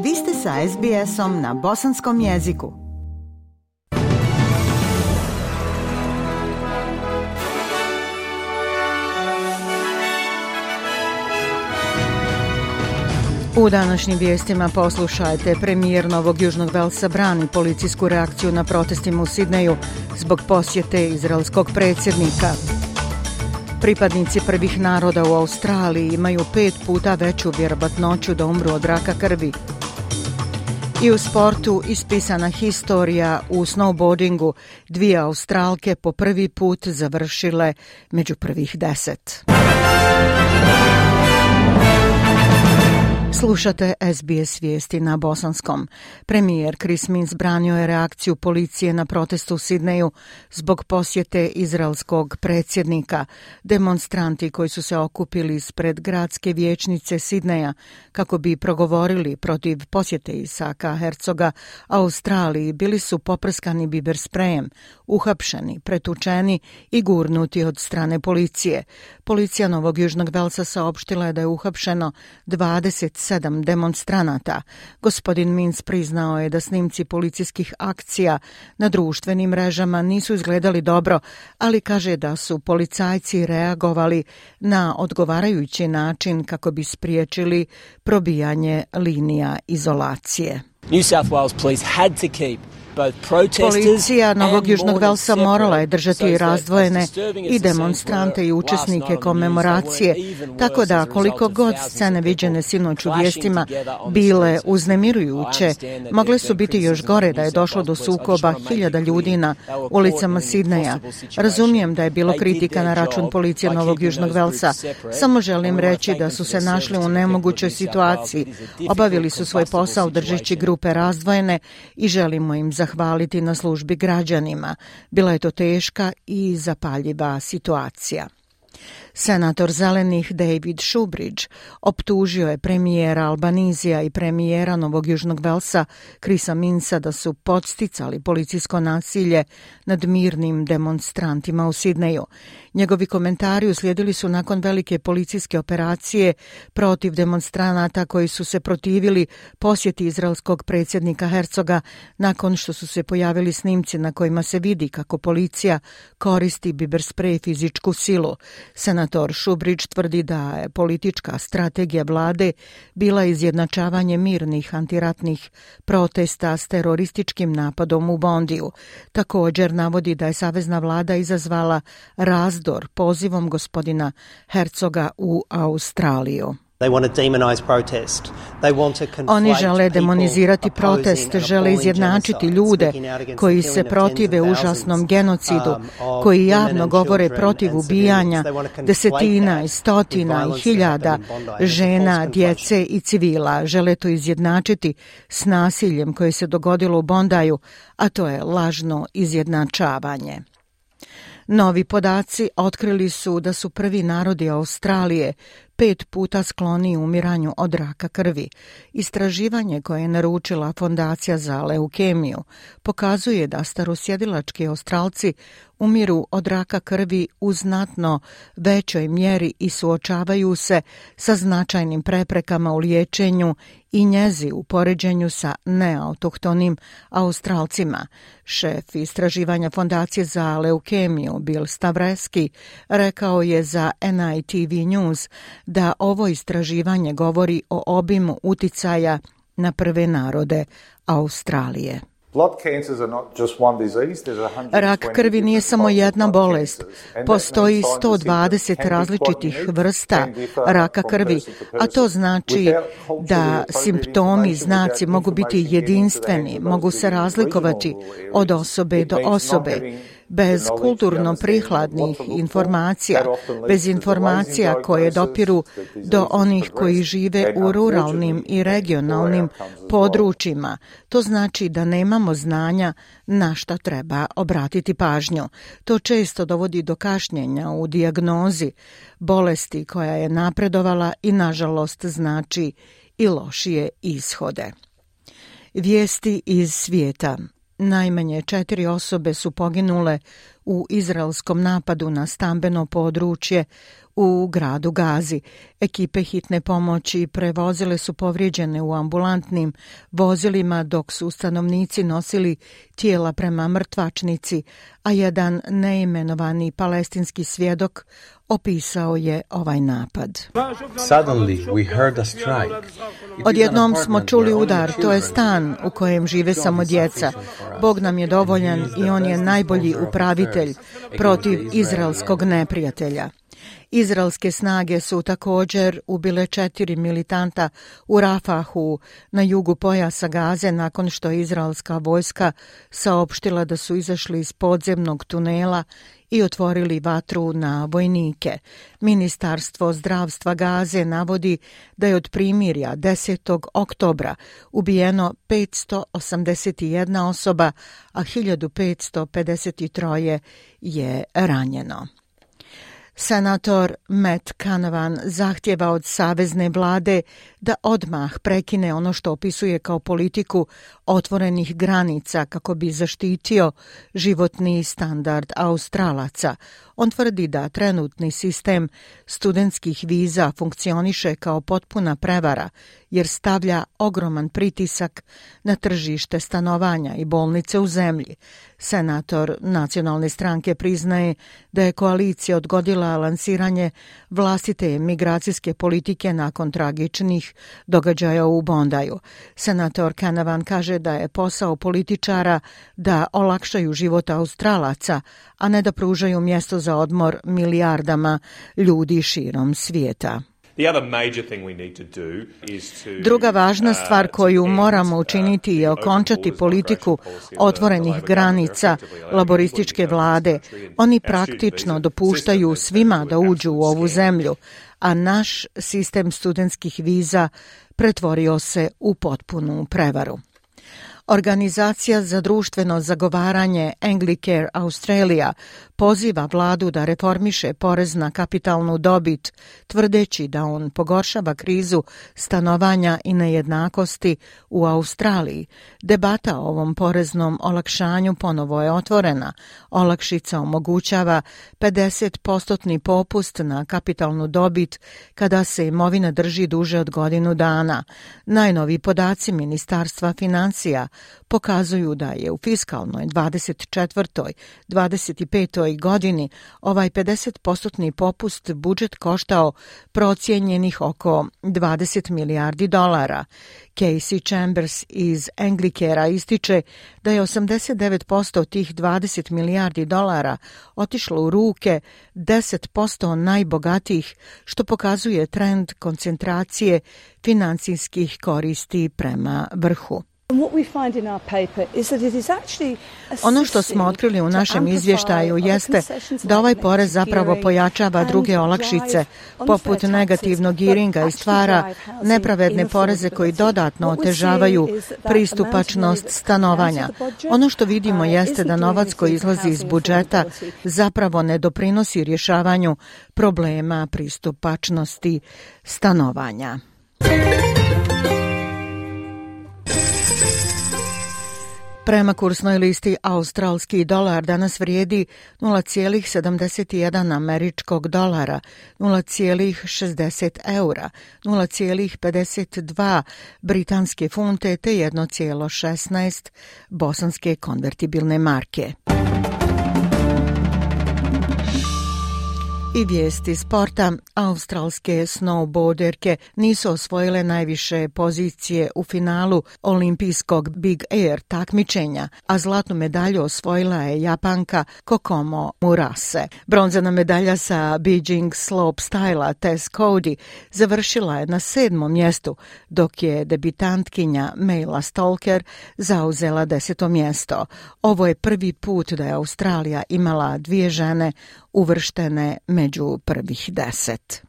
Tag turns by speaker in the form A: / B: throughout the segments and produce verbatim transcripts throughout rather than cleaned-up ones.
A: Vi ste sa es bi esom na bosanskom jeziku. U današnjim vijestima poslušajte, premijer Novog Južnog Velsa brani policijsku reakciju na protestima u Sidneju zbog posjete izraelskog predsjednika. Pripadnici prvih naroda u Australiji imaju pet puta veću vjerovatnoću da umru od raka krvi. I u sportu ispisana historija u snowboardingu, dvije Australke po prvi put završile među prvih deset. Slušate es bi es vijesti na bosanskom. Premijer Chris Minns branio je reakciju policije na protestu u Sidneju zbog posjete izraelskog predsjednika. Demonstranti koji su se okupili ispred gradske vijećnice Sidneja kako bi progovorili protiv posjete Isaka Herzoga Australiji bili su poprskani biber sprejem, uhapšeni, pretučeni i gurnuti od strane policije. Policija Novog Južnog Velsa saopštila je da je uhapšeno dvadeset sedam demonstranata. Gospodin Minns priznao je da snimci policijskih akcija na društvenim mrežama nisu izgledali dobro, ali kaže da su policajci reagovali na odgovarajući način kako bi spriječili probijanje linija izolacije.
B: New South Wales Police had to keep
A: Policija Novog Južnog Velsa morala je držati razdvojene i demonstrante i učesnike komemoracije, tako da koliko god scene viđene sinoć u vijestima bile uznemirujuće, mogle su biti još gore da je došlo do sukoba hiljada ljudi na ulicama Sidneja. Razumijem da je bilo kritika na račun policije Novog Južnog Velsa, samo želim reći da su se našli u nemogućoj situaciji. Obavili su svoj posao držeći grupe razdvojene i želimo im zahvaliti. Zahvaliti na službi građanima. Bila je to teška i zapaljiva situacija. Senator zelenih David Shoebridge optužio je premijera Albanizija i premijera Novog Južnog Velsa Chrisa Minnsa da su podsticali policijsko nasilje nad mirnim demonstrantima u Sidneju. Njegovi komentari uslijedili su nakon velike policijske operacije protiv demonstranata koji su se protivili posjeti izraelskog predsjednika Herzoga nakon što su se pojavili snimci na kojima se vidi kako policija koristi biber sprej i fizičku silu. Senator Shoebridge tvrdi da je politička strategija vlade bila izjednačavanje mirnih antiratnih protesta s terorističkim napadom u Bondiju. Također navodi da je savezna vlada izazvala razdor pozivom gospodina Herzoga u Australiju. Oni žele demonizirati protest, žele izjednačiti ljude koji se protive užasnom genocidu, koji javno govore protiv ubijanja desetina i stotina i hiljada žena, djece i civila. Žele to izjednačiti s nasiljem koje se dogodilo u Bondaju, a to je lažno izjednačavanje. Novi podaci otkrili su da su prvi narodi Australije pet puta skloni umiranju od raka krvi. Istraživanje koje je naručila Fondacija za leukemiju pokazuje da starosjedilački Australci umiru od raka krvi u znatno većoj mjeri i suočavaju se sa značajnim preprekama u liječenju i njezi u poređenju sa neautohtonim Australcima. Šef istraživanja Fondacije za leukemiju Bill Stavreski rekao je za en i te ve News da ovo istraživanje govori o obimu uticaja na prve narode Australije. Rak krvi nije samo jedna bolest. Postoji sto dvadeset različitih vrsta raka krvi, a to znači da simptomi i znaci mogu biti jedinstveni, mogu se razlikovati od osobe do osobe. Bez kulturno prikladnih informacija, bez informacija koje dopiru do onih koji žive u ruralnim i regionalnim područjima, to znači da nemamo znanja na šta treba obratiti pažnju. To često dovodi do kašnjenja u dijagnozi bolesti koja je napredovala i nažalost znači i lošije ishode. Vijesti iz svijeta. Najmanje četiri osobe su poginule u izraelskom napadu na stambeno područje u gradu Gazi. Ekipe hitne pomoći prevozile su povrijeđene u ambulantnim vozilima dok su stanovnici nosili tijela prema mrtvačnici, a jedan neimenovani palestinski svjedok opisao je ovaj napad.
C: Suddenly we heard a strike.
A: Odjednom smo čuli udar, to je stan u kojem žive samo djeca. Bog nam je dovoljan i on je najbolji upravitelj protiv izraelskog neprijatelja. Izraelske snage su također ubile četiri militanta u Rafahu na jugu pojasa Gaze nakon što je izraelska vojska saopštila da su izašli iz podzemnog tunela i otvorili vatru na vojnike. Ministarstvo zdravstva Gaze navodi da je od primirja desetog oktobra ubijeno petsto osamdeset jedna osoba, a hiljadu petsto pedeset tri je ranjeno. Senator Matt Canavan zahtjeva od savezne vlade da odmah prekine ono što opisuje kao politiku otvorenih granica kako bi zaštitio životni standard Australaca. On tvrdi da trenutni sistem studentskih viza funkcioniše kao potpuna prevara jer stavlja ogroman pritisak na tržište stanovanja i bolnice u zemlji. Senator nacionalne stranke priznaje da je koalicija odgodila lansiranje vlastite migracijske politike nakon tragičnih događaja u Bondaju. Senator Canavan kaže da je posao političara da olakšaju život Australaca, a ne da pružaju mjesto za odmor milijardama ljudi širom svijeta. Druga važna stvar koju moramo učiniti je okončati politiku otvorenih granica laborističke vlade. Oni praktično dopuštaju svima da uđu u ovu zemlju, a naš sistem studentskih viza pretvorio se u potpunu prevaru. Organizacija za društveno zagovaranje Anglicare Australia poziva vladu da reformiše porez na kapitalnu dobit, tvrdeći da on pogoršava krizu stanovanja i nejednakosti u Australiji. Debata o ovom poreznom olakšanju ponovo je otvorena. Olakšica omogućava pedeset posto popust na kapitalnu dobit kada se imovina drži duže od godinu dana. Najnoviji podaci Ministarstva financija pokazuju da je u fiskalnoj dvadeset četvrtoj dvadeset petoj godini ovaj pedeset posto popust budžet koštao procijenjenih oko dvadeset milijardi dolara. Casey Chambers iz Anglicarea ističe da je osamdeset devet posto tih dvadeset milijardi dolara otišlo u ruke deset posto najbogatijih, što pokazuje trend koncentracije financijskih koristi prema vrhu. Ono što smo otkrili u našem izvještaju jeste da ovaj porez zapravo pojačava druge olakšice, poput negativnog gearinga i stvara nepravedne poreze koji dodatno otežavaju pristupačnost stanovanja. Ono što vidimo jeste da novac koji izlazi iz budžeta zapravo ne doprinosi rješavanju problema pristupačnosti stanovanja. Prema kursnoj listi australski dolar danas vrijedi nula zarez sedamdeset jedan američkog dolara, nula zarez šezdeset eura, nula zarez pedeset dva britanske funte te jedan zarez šesnaest bosanske konvertibilne marke. I vijesti sporta. Australske snowboarderke nisu osvojile najviše pozicije u finalu olimpijskog Big Air takmičenja, a zlatnu medalju osvojila je Japanka Kokomo Murase. Bronzana medalja sa Beijing slopestyla Tess Cody završila je na sedmom mjestu, dok je debitantkinja Mayla Stalker zauzela deseto mjesto. Ovo je prvi put da je Australija imala dvije žene uvrštene među prvih deset.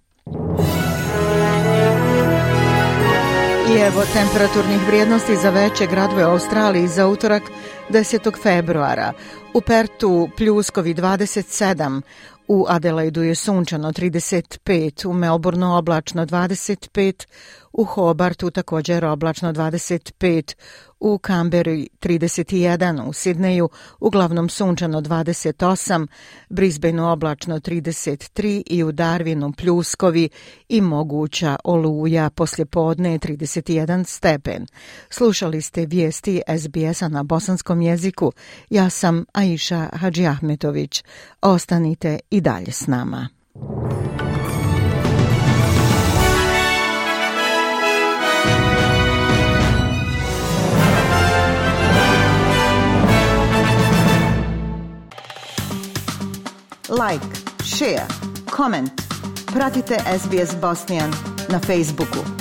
A: I evo temperaturnih vrijednosti za veće gradove u Australiji za utorak desetog februara. U Pertu pljuskovi dvadeset sedam, u Adelaidu je sunčano trideset pet, u Melbourneu oblačno dvadeset pet, u Hobartu također oblačno dvadeset pet, u Kamberi trideset jedan, u Sidneju uglavnom sunčano dvadeset osam, Brisbaneu oblačno trideset tri i u Darwinu pljuskovi i moguća oluja poslijepodne trideset jedan stepen. Slušali ste vijesti S B S-a na bosanskom jeziku. Ja sam Aisha Hadžiahmetović. Ostanite i dalje s nama. Like, share, comment. Pratite S B S Bosnian na Facebooku.